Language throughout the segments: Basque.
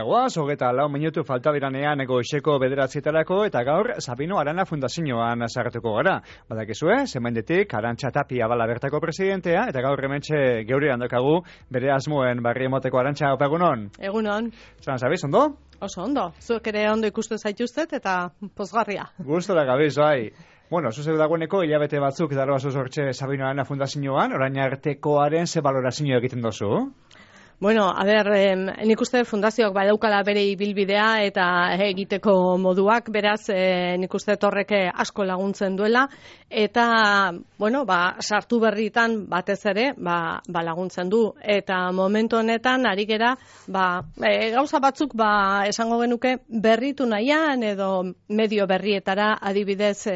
goaz, 24 minutu falta diranean goizeko 9:00 eta gaur Sabino Arana Fundazioan sartuko gara. Badakizue, zemendetik Arantxa Tapia bala bertako presidentea, eta gaur hementxe geurean daukagu bere asmoen barri emoteko. Arantxa, egunon? Egunon. Zeran, zabiz, ondo? Oso ondo. Zuek ere ondo ikusten zaituztet eta pozgarria. Gustora gabiz, bai. Bueno, zuzeu dagoeneko hilabete batzuk daro sortxe Sabino Arana Fundazioan, orain artekoaren ze balorazio egiten dozu? Bueno, a ber, nik uste fundazioak badaukala bere ibilbidea eta egiteko moduak, beraz, nik uste horrek asko laguntzen duela, eta, bueno, sartu berritan batez ere, laguntzen du, eta momentu honetan, ari gera, gauza batzuk, esango genuke, berritu nahian, edo medio berrietara adibidez,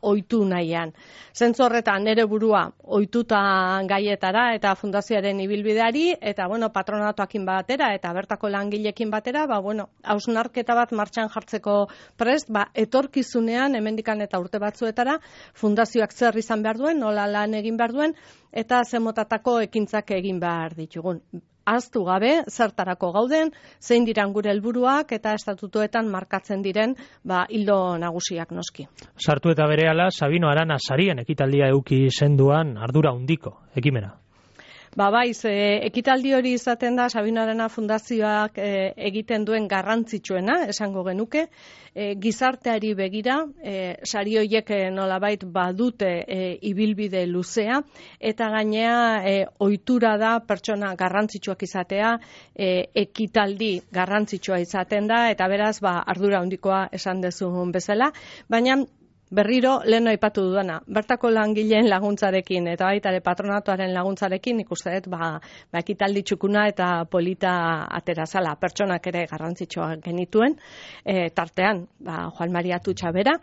ohitu nahian. Zentzu horretan, nere burua, ohituta gaietara, eta fundazioaren ibilbideari, eta, bueno, patronatuakin batera, eta bertako langilekin batera, hausnarketa bat martxan jartzeko prest, etorkizunean, hemendikan eta urte batzuetara, fundazioak zer izan behar duen, nola lan egin behar duen, eta zemotatako ekintzak egin behar ditugun. Ahaztu gabe, zertarako gauden, zein diran gure helburuak eta estatutuetan markatzen diren ildo nagusiak noski. Sartu eta berehala, Sabino Arana sarien ekitaldia eduki senduan ardura handiko ekimena. Ekitaldi hori izaten da Sabino Arana Fundazioak egiten duen garrantzitsuena, esango genuke, gizarteari begira, sari horiek nolabait badute ibilbide luzea, eta gainea ohitura da pertsona garrantzitsuak izatea, ekitaldi garrantzitsua izaten da, eta beraz ardura handikoa esan dezun bezala, baina berriro lehen aipatu dudana, bertako langileen laguntzarekin eta baita ere patronatuaren laguntzarekin ikuste dut ekitaldi txukuna eta polita aterazala, pertsonak ere garrantzitsua genituen, tartean Juan Maria Atutxa bera,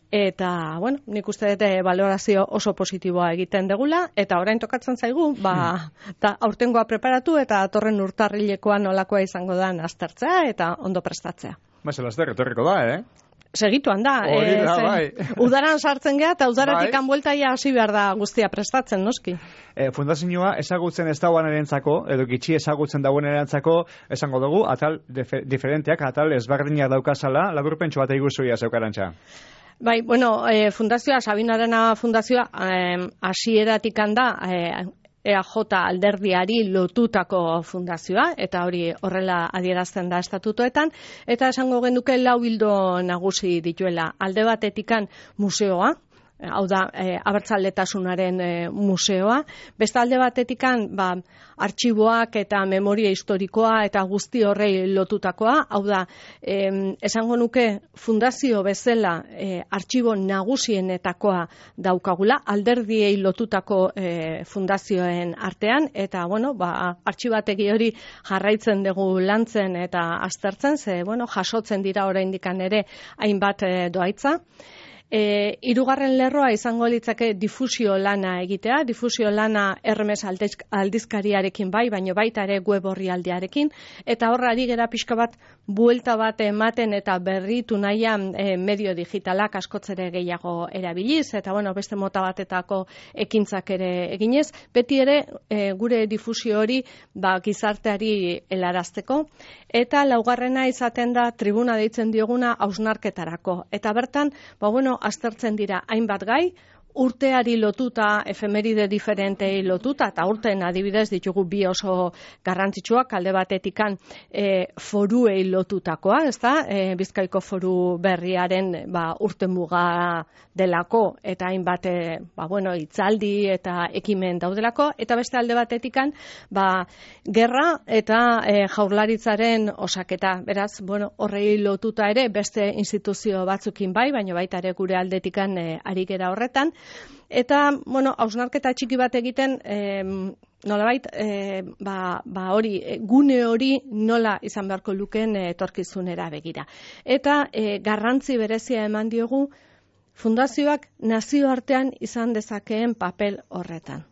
eta nik uste dut balorazio oso positiboa egiten degula, eta orain tokatzen zaigu, aurtengoa preparatu eta atorren urtarrilekoa nolakoa izango da aztertzea eta ondo prestatzea. Etorriko da, Segituan da, udaran sartzen geha eta udaratik bueltaia hasi behar da guztia prestatzen, noski. Fundazioa ezagutzen ez dagoen erentzako, edo gitxi ezagutzen dagoen erentzako, esango dugu, atal diferenteak, atal ezberdinak daukazala, laburpentsu bat eiguzuia zeukarantza. Fundazioa, Sabino Arana Fundazioa, hasieratik da, EAJ alderdiari lotutako fundazioa, eta hori horrela adierazten da estatutoetan, eta esango genuke 4 ildo nagusi dituela. Alde batetikan museoa, hau da, abertzaletasunaren museoa, beste alde batetikan, artxiboak eta memoria historikoa eta guzti horrei lotutakoa, hau da, esango nuke fundazio bezala artxibo nagusienetakoa daukagula, alderdiei lotutako fundazioen artean, eta, artxibategi hori jarraitzen dugu lantzen eta aztertzen, jasotzen dira oraindikan ere hainbat doaitza. Hirugarren lerroa izango litzake difusio lana egitea, difusio lana Hermes aldizkariarekin baina baita ere web orrialdearekin, eta horra ari gera pixka bat buelta bat ematen eta berritu nahian medio digitalak askotzere gehiago erabiliz, eta beste mota batetako ekintzak ere eginez, beti ere gure difusio hori gizarteari helarazteko, eta laugarrena izaten da tribuna deitzen dioguna hausnarketarako, eta bertan, aztertzen dira hainbat gai, urteari lotuta, efemeride diferentei lotuta, eta urteen adibidez ditugu bi oso garrantzitsuak, alde batetikan foruei lotutakoa, Bizkaiko foru berriaren urte muga delako, eta hainbat hitzaldi eta ekimen daudelako, eta beste alde batetikan, gerra eta jaurlaritzaren osaketa. Beraz, horrei lotuta ere beste instituzio batzukin baina baita ere gure aldetikan ari gera horretan. Eta, hausnarketa txiki bat egiten, nolabait, hori, gune hori nola izan beharko lukeen etorkizunera begira. Eta garrantzi berezia eman diogu fundazioak nazioartean izan dezakeen papel horretan.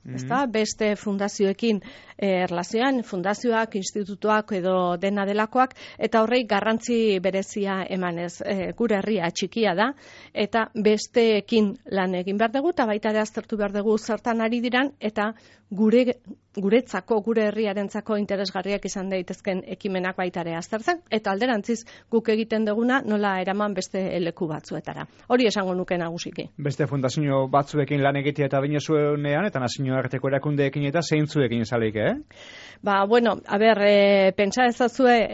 Beste fundazioekin erlazioan, fundazioak, institutuak edo dena delakoak, eta horrei garrantzi berezia emanez. Gure herria txikia da, eta besteekin lan egin behar dugu, eta baita ere aztertu behar dugu zertan ari diran, eta gure guretzako, gure herriarentzako interesgarriak izan daitezken ekimenak baitare aztertzen, eta alderantziz guk egiten duguna nola eraman beste leku batzuetara. Hori esango nuke nagusiki. Beste fundazio batzuekin lan egitea eta bine zuenean, eta nazioarteko erakundeekin eta zeintzuekin zaleik, Bueno, pentsa ezazue,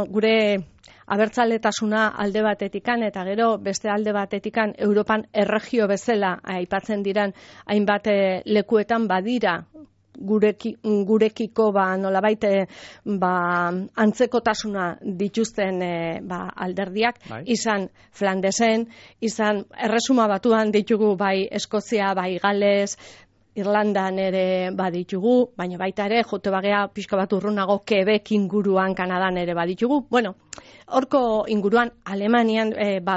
gure abertzaletasuna alde batetikan eta gero beste alde batetikan Europan erregio bezala aipatzen diran hainbat lekuetan badira gurekiko nolabait antzekotasuna dituzten alderdiak, bai. Izan Flandesen, izan Erresuma Batuan ditugu bai Eskozia, bai Gales, Irlandan ere baditugu, baina baita ere jote bagea pixka bat urrunago Quebec inguruan, Kanadan ere baditugu. Bueno, horko inguruan Alemanian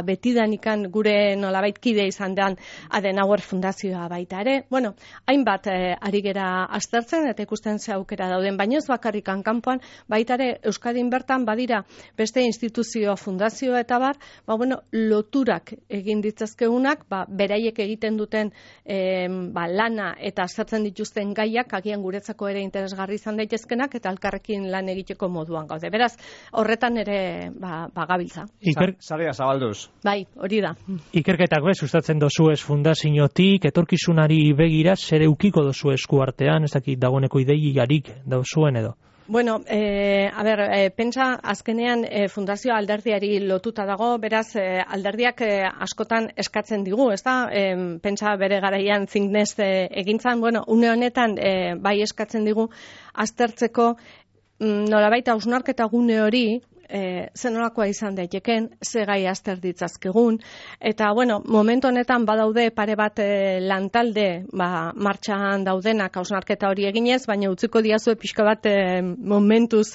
betidanikan gure nolabait kide izan den Adenauer Fundazioa baita ere. Bueno, hainbat ari gera aztertzen eta ikusten ze aukera dauden, baina ez bakarrikan kanpoan baita ere Euskadin bertan badira beste instituzio fundazio eta bar, loturak egin ditzazkeunak, beraiek egiten duten lana eta aztertzen dituzten gaiak agian guretzako ere interesgarri izan daitezkenak eta elkarrekin lan egiteko moduan gaude. Beraz, horretan ere gabiltza. Zarea zabalduz. Bai, hori da. Ikerketak sustatzen dozuez fundaziotik, etorkizunari begira, zer eukiko dozu esku artean, ez dakit dagoeneko ideiarik dozuen edo? Bueno, pentsa azkenean fundazioa alderdiari lotuta dago, beraz alderdiak askotan eskatzen digu, ezta? Pentsa bere garaian think nest egintzan, une honetan bai eskatzen digu aztertzeko nolabait hausnarketa gune hori zenolakoa izan daiteken, ze gai azter ditzazkegun, eta momentu honetan badaude pare bat lantalde martxan daudenak hausnarketa hori eginez, baina utziko diazue pixka bat momentuz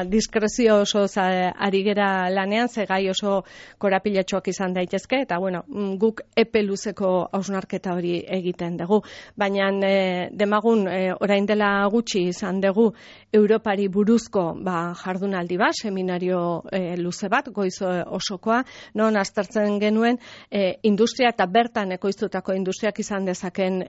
diskrezio oso ari gera lanean, ze gai oso korapilatxoak izan daitezke, eta guk epe luzeko hausnarketa hori egiten dugu. Baina demagun orain dela gutxi izan dugu Europari buruzko jardunaldi bat, seminario luze bat, goiz osokoa, non aztertzen genuen industria eta bertan ekoiztutako industriak izan dezaken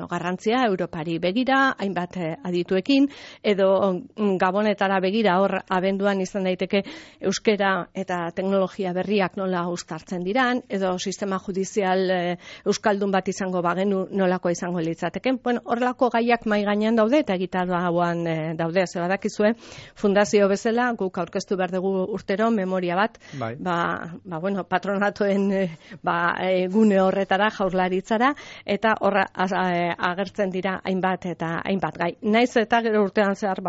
garrantzia Europari begira, hainbat adituekin, edo Gabonetara begira, hor abenduan izan daiteke euskera eta teknologia berriak nola uztartzen diran, edo sistema judizial euskaldun bat izango bagenu nolako izango litzateken. Horrelako gaiak mai gainean daude eta egitarauan daude, ze badakizue, fundazio bezala, guk aurkeztu behar dugu urtero memoria bat, patronatoen gune horretara, jaurlaritzara, eta horra agertzen dira hainbat eta hainbat gai. Naiz eta gero urtean zehar,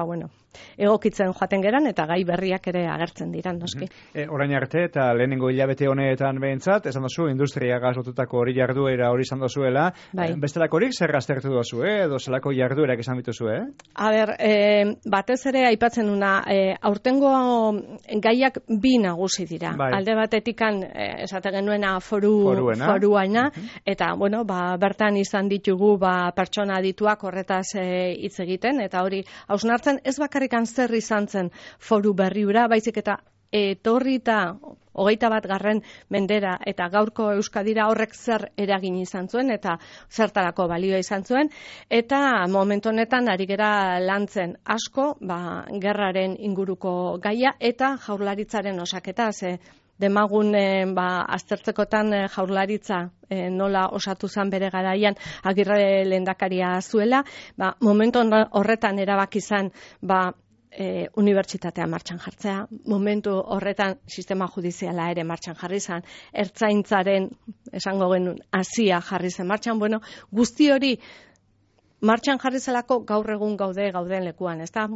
egokitzen joaten geran eta gai berriak ere agertzen diran, noski. Orain arte eta lehenengo hilabete honetan behintzat, esan dozu, industria gazlotutako hori jarduera hori izan dozuela, bestelako horik zer aztertu dozu, edo zelako jarduerak izan bituzu, batez ere aipatzen una, aurtengo gaiak bi nagusi dira. Alde batetikan, esate genuena foruaina, eta, bertan izan ditugu pertsona adituak horretaz hitz egiten, eta hori hausnartzen ez bakarrik zer izan zen foru berriura, baizik eta etorrita 21. mendera eta gaurko Euskadira horrek zer eragin izan zuen eta zertarako balioa izan zuen, eta momentu honetan ari gera lantzen asko, gerraren inguruko gaia eta jaurlaritzaren osaketa, demagun aztertzekotan jaurlaritza nola osatu zen bere garaian Agirre lehendakaria zuela, momentu horretan erabaki izan unibertsitatea martxan jartzea, momentu horretan sistema judiziala ere martxan jarri zen, ertzaintzaren esango genuen hasia jarri zen martxan, guzti hori martxan jarri zelako gaur egun gauden lekuan, ezta?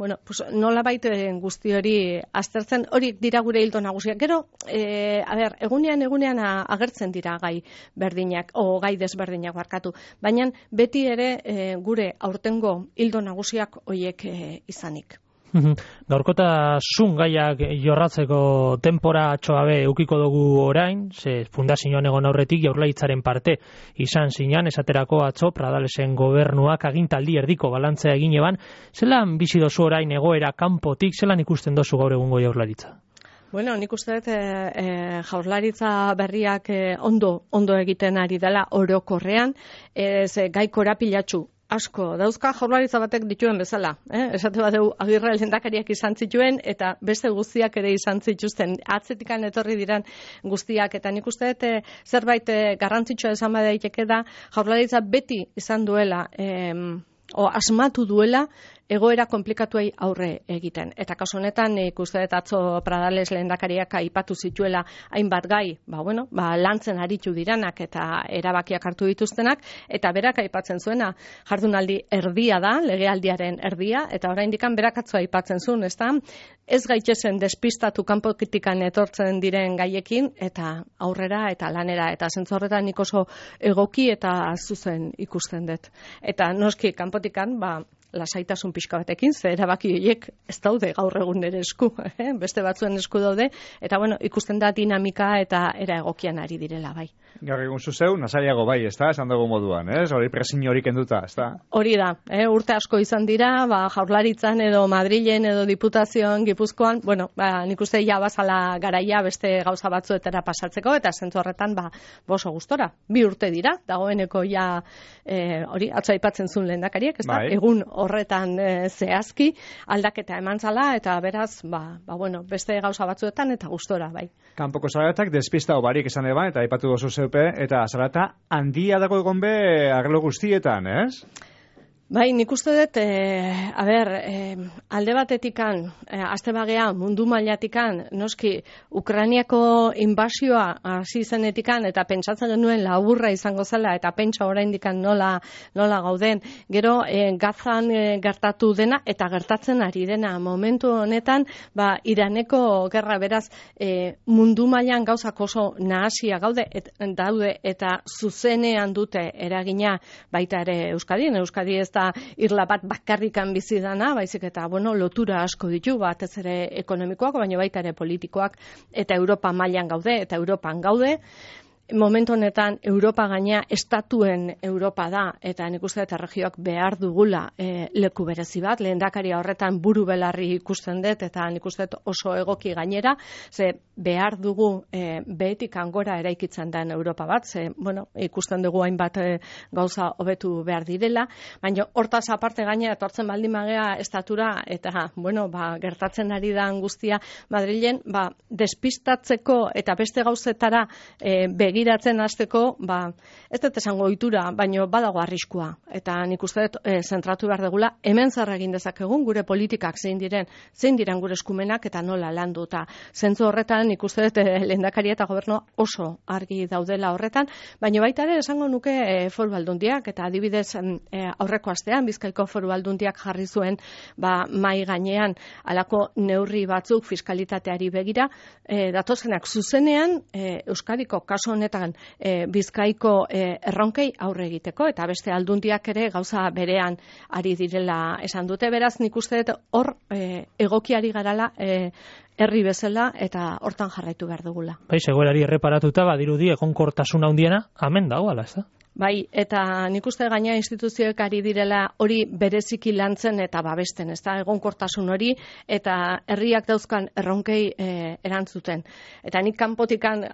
Nola baiten guzti hori aztertzen, horiek dira gure hildo nagusiak. Gero, egunean agertzen dira gai berdinak, gai desberdinak barkatu, baina beti ere gure aurtengo hildo nagusiak horiek izanik. Gaurkotasun gaiak jorratzeko denbora txoabe eukiko dugu orain, ze fundazioan egon aurretik Jaurlaritzaren parte izan zinan, esaterako atzo Pradalesen gobernuak agintaldi erdiko balantzea egin eban, zelan bizi dozu orain egoera kanpotik, zelan ikusten dozu gaur egungo Jaurlaritza? Nik uste dut jaurlaritza berriak ondo egiten ari dela orokorrean, gai korapilatsu asko dauzka jaurlaritza batek dituen bezala. Esate badeu Agirre lehendakariak izan zituen eta beste guztiak ere izan zituzten. Atzetikan etorri diran guztiak eta nik uste dut zerbait garrantzitsua esan badaiteke da jaurlaritza beti izan duela asmatu duela egoera komplikatuei aurre egiten. Eta kasu honetan ikuste dut atzo Pradales lehendakariak aipatu zituela hainbat gai, lantzen aritu diranak eta erabakiak hartu dituztenak, eta berak aipatzen zuena jardunaldi erdia da, legealdiaren erdia, eta oraindik berak atzo aipatzen zuen, ezta? Ez gaitezen despistatu kanpokitikan etortzen diren gaiekin, eta aurrera eta lanera, eta zentzu horretan nik oso egoki eta zuzen ikusten dut. Eta noski kanpotikan, lasaitasun pixka batekin, ze erabaki horiek ez daude gaur egun ere esku, beste batzuen esku daude, eta ikusten da dinamika eta era egokian ari direla, bai. Gaur egun zuzeu, nasaiago bai, ez da, esan dugu moduan, hori presin hori kenduta, ez da? Hori da, urte asko izan dira, Jaurlaritzan edo Madrilen edo Diputazioan, Gipuzkoan, nik uste ja bazala garaia beste gauza batzuetara pasatzeko, eta zentzu horretan, oso gustora, 2 urte dira, dagoeneko ja, hori, atzo aipatzen zuen lehendakariak, ez da, egun horretan zehazki aldaketa eman zala eta beraz, beste gauza batzuetan eta gustora, bai. Kanpoko zaratak despista barik esan eban eta aipatu gozu zeupe eta zarata handia dago egon be arlo guztietan, ez? Bai, nik uste dut, alde batetikan, azte bagea mundu mailatikan, noski, Ukrainiako inbasioa hasi zenetikan, eta pentsatzen genuen laburra izango zela, eta pentsa oraindikan nola gauden, gero Gazan gertatu dena, eta gertatzen ari dena, momentu honetan, Iraneko gerra beraz, mundu mailan gauzak oso nahasia daude, eta zuzenean dute eragina baita ere Euskadin ez da irla bat bakarrikan bizi dana, baizik eta lotura asko ditu, batez ere ekonomikoak, baina baita ere politikoak, eta Europa mailan gaude, eta Europan gaude. Momentu honetan Europa gaina estatuen Europa da, eta nik uste eta erregioak behar dugula leku berezi bat, lehendakaria horretan buru belarri ikusten dut, eta nik uste oso egoki gainera, ze behar dugu behetik angora eraikitzen den Europa bat, ze ikusten dugu hainbat gauza hobetu behar direla, baina hortaz aparte gainera etortzen baldin magea estatura, eta gertatzen ari da guztia Madrilen, despistatzeko eta beste gauzetara begiratzen hasteko, ez dut esango ohitura, baino badago arriskua. Eta nik uste dut zentratu behar degula, hemen zer egin dezakegun gure politikak zein diren gure eskumenak eta nola landu. Eta zentzu horretan nik uste dut lehendakaria eta gobernua oso argi daudela horretan, baino baita ere esango nuke foru aldundiak, eta adibidez aurreko astean Bizkaiko foru aldundiak jarri zuen mai gainean halako neurri batzuk fiskalitateari begira, datozenak zuzenean Euskadiko kasu honetan Bizkaiko erronkei aurre egiteko, eta beste aldundiak ere gauza berean ari direla esan dute, beraz nik uste dut hor egokiari garala herri bezala eta hortan jarraitu behar dugula. Bai, egoerari erreparatuta badirudi egonkortasun handiena hemen dago, ala ez da? Bai, eta nik uste gaina instituzioek ari direla hori bereziki lantzen eta babesten, ez da, egonkortasun hori, eta herriak dauzkan erronkei erantzuten. Eta nik kanpotikan,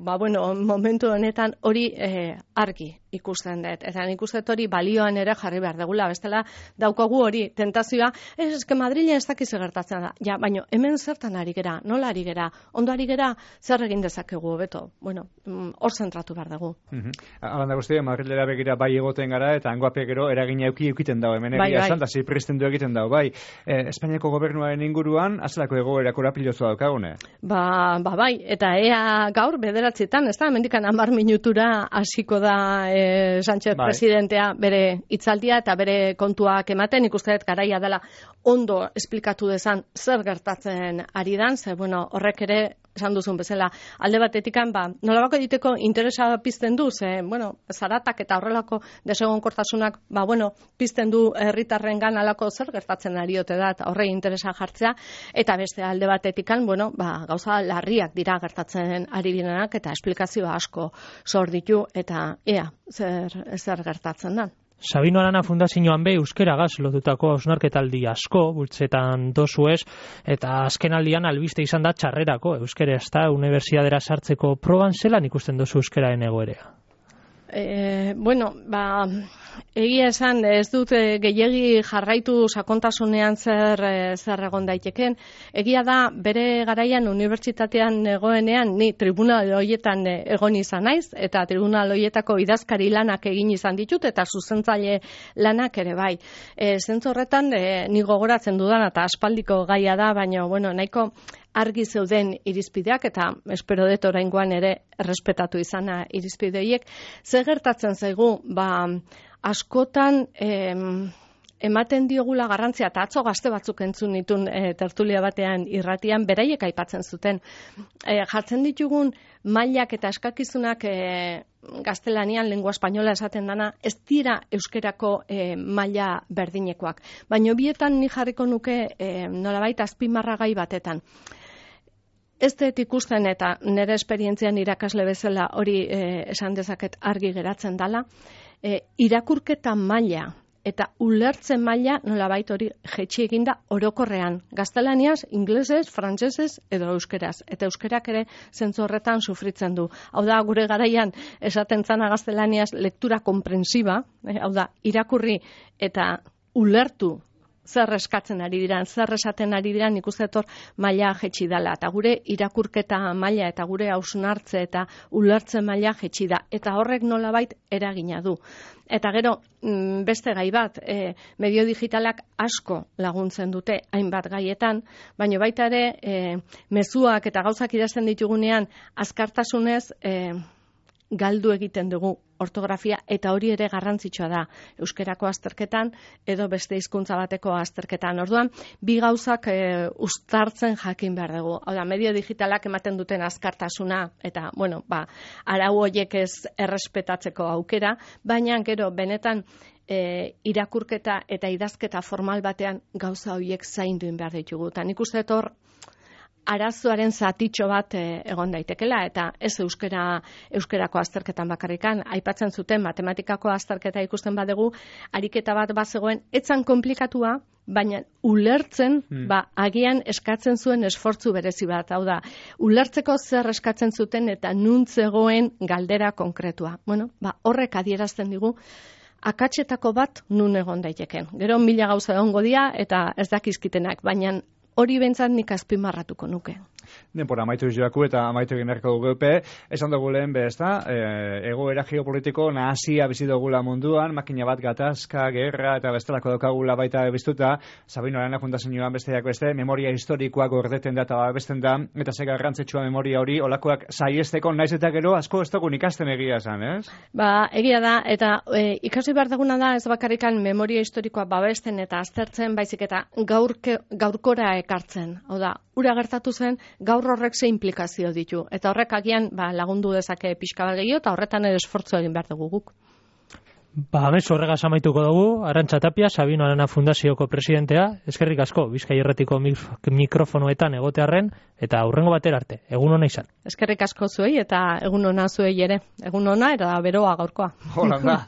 momentu honetan hori argi ikusten dut. Eta nik uste hori balioan ere jarri behar degula, bestela daukagu hori tentazioa, eske Madrilen ez dakiz gertatzen da. Ja, baina hemen zertan ari gera, nola ari gera, ondo ari gera, zer egin dezakegu hobeto. Hor zentratu behar dugu. Alanda guztia, Madrilera begira bai egoten gara, eta hangoape gero eragina eukiten dago, hemen egia esan, da ziprizten du egiten dago, bai. Espainiako gobernuaren inguruan, azelako egoera korapilozua daukagune? Bai, eta ea gaur, 9:00, ez da, mendikan 10 minutura hasiko da Sánchez presidentea bere hitzaldia eta bere kontuak ematen, ikusten dut garaia dela ondo esplikatu dezan zer gertatzen ari dan, ze horrek ere esan duzun bezala, alde batetikan, nolabako egiteko interesa pizten du, ze, zaratak eta horrelako desegonkortasunak, pizten du herritarrengan alako zer gertatzen ari ote da, eta horrei interesa jartzea, eta beste alde batetikan, gauza larriak dira gertatzen ari direnak, eta esplikazioa asko sor ditu, eta ea, zer gertatzen da. Sabino Arana Fundazioan euskeragaz lotutako hausnarketaldi asko bultzetan dozuez, eta azkenaldian albiste izan da txarrerako euskera ez da unibertsitatera sartzeko proban zelan ikusten dozu euskeraren egoerea? Egia esan, ez dut gehiegi jarraitu sakontasunean zer egon daiteken. Egia da, bere garaian unibertsitatean egoenean, ni tribunal horietan egon izan naiz, eta tribunal horietako idazkari lanak egin izan ditut, eta zuzentzaile lanak ere bai. Zentzu horretan, ni gogoratzen dudan, eta aspaldiko gaia da, baina, bueno, nahiko argi zeuden irizpideak, eta espero dut oraingoan ere errespetatu izana irizpideiek. Zer gertatzen zaigu, askotan ematen diogula garrantzia, eta atzo gazte batzuk entzun nitun tertulia batean irratian, beraiek aipatzen zuten. Jartzen ditugun mailak eta eskakizunak gaztelanian, lengua espainola esaten dana, ez dira euskerako maila berdinekoak. Baina bietan ni jarriko nuke nolabait azpimarragai batetan. Ez dut ikusten eta nire esperientzian irakasle bezala hori esan dezaket argi geratzen dala, irakurketa maila eta ulertzen maila nolabait hori jetxi eginda orokorrean. Gaztelaniaz, inglesez, frantsesez edo euskeraz. Eta euskerak ere zentzu horretan sufritzen du. Hau da, gure garaian esaten zana gaztelaniaz lektura komprensiba, hau da, irakurri eta ulertu zer eskatzen ari diran, zer esaten ari diran, ikuste etor maila jetxi dela. Eta gure irakurketa maila eta gure hausnartze eta ulertzen maila jetxi da. Eta horrek nolabait eragina du. Eta gero, beste gai bat, medio digitalak asko laguntzen dute hainbat gaietan, baina baita ere, mezuak eta gauzak idazten ditugunean, azkartasunez galdu egiten dugu ortografia, eta hori ere garrantzitsua da euskerako azterketan edo beste hizkuntza bateko azterketan. Orduan, bi gauzak uztartzen jakin behar dugu. Hau da, medio digitalak ematen duten azkartasuna eta, bueno, arau horiek ez errespetatzeko aukera, baina gero benetan irakurketa eta idazketa formal batean gauza horiek zaindu behar ditugu. Eta nik uste hor arazoaren zatitxo bat egon daitekela, eta ez euskerako azterketan bakarrikan, aipatzen zuten matematikako azterketa ikusten badugu, ariketa bat bazegoen, etzan komplikatua, baina ulertzen, agian eskatzen zuen esfortzu berezi bat, hau da, ulertzeko zer eskatzen zuten eta nuntzegoen galdera konkretua. Bueno, horrek adierazten digu, akatsetako bat nun egon daiteken. Gero 1000 gauza egongo dira eta ez dakizkitenak, baina hori bentzat nik azpimarratuko nuke. Denpora amaitu joaku eta amaitu egin erko dugu esan dugu lehen egoera geopolitiko nahasia bizi dugula munduan, makina bat gatazka, gerra eta bestelako daukagula baita biztuta, Sabino Arana Fundazioan besteak beste, memoria historikoa gordeten da eta babesten da, eta ze garrantzitsua memoria hori, olakoak saiesteko naiz eta gero asko ez dugun ikasten egia esan, ez? Egia da, eta ikasi behar duguna da ez bakarrikan memoria historikoa babesten eta aztertzen, baizik eta gaurkora ekartzen. Hau da, ura gertatu zen, gaur horrek ze implikazio ditu. Eta horrek agian lagundu dezake pixka bat gehiago, eta horretan ere esfortzu egin behar dugu guk. Bez horregaz amaituko dugu, Arantxa Tapia, Sabino Arana Fundazioko presidentea, eskerrik asko, Bizkai Irratiko mikrofonoetan egotearren, eta hurrengo batera arte, egun ona izan. Eskerrik asko zuei, eta egun ona zuei ere. Egun ona, eta beroa gaurkoa. Hola, da.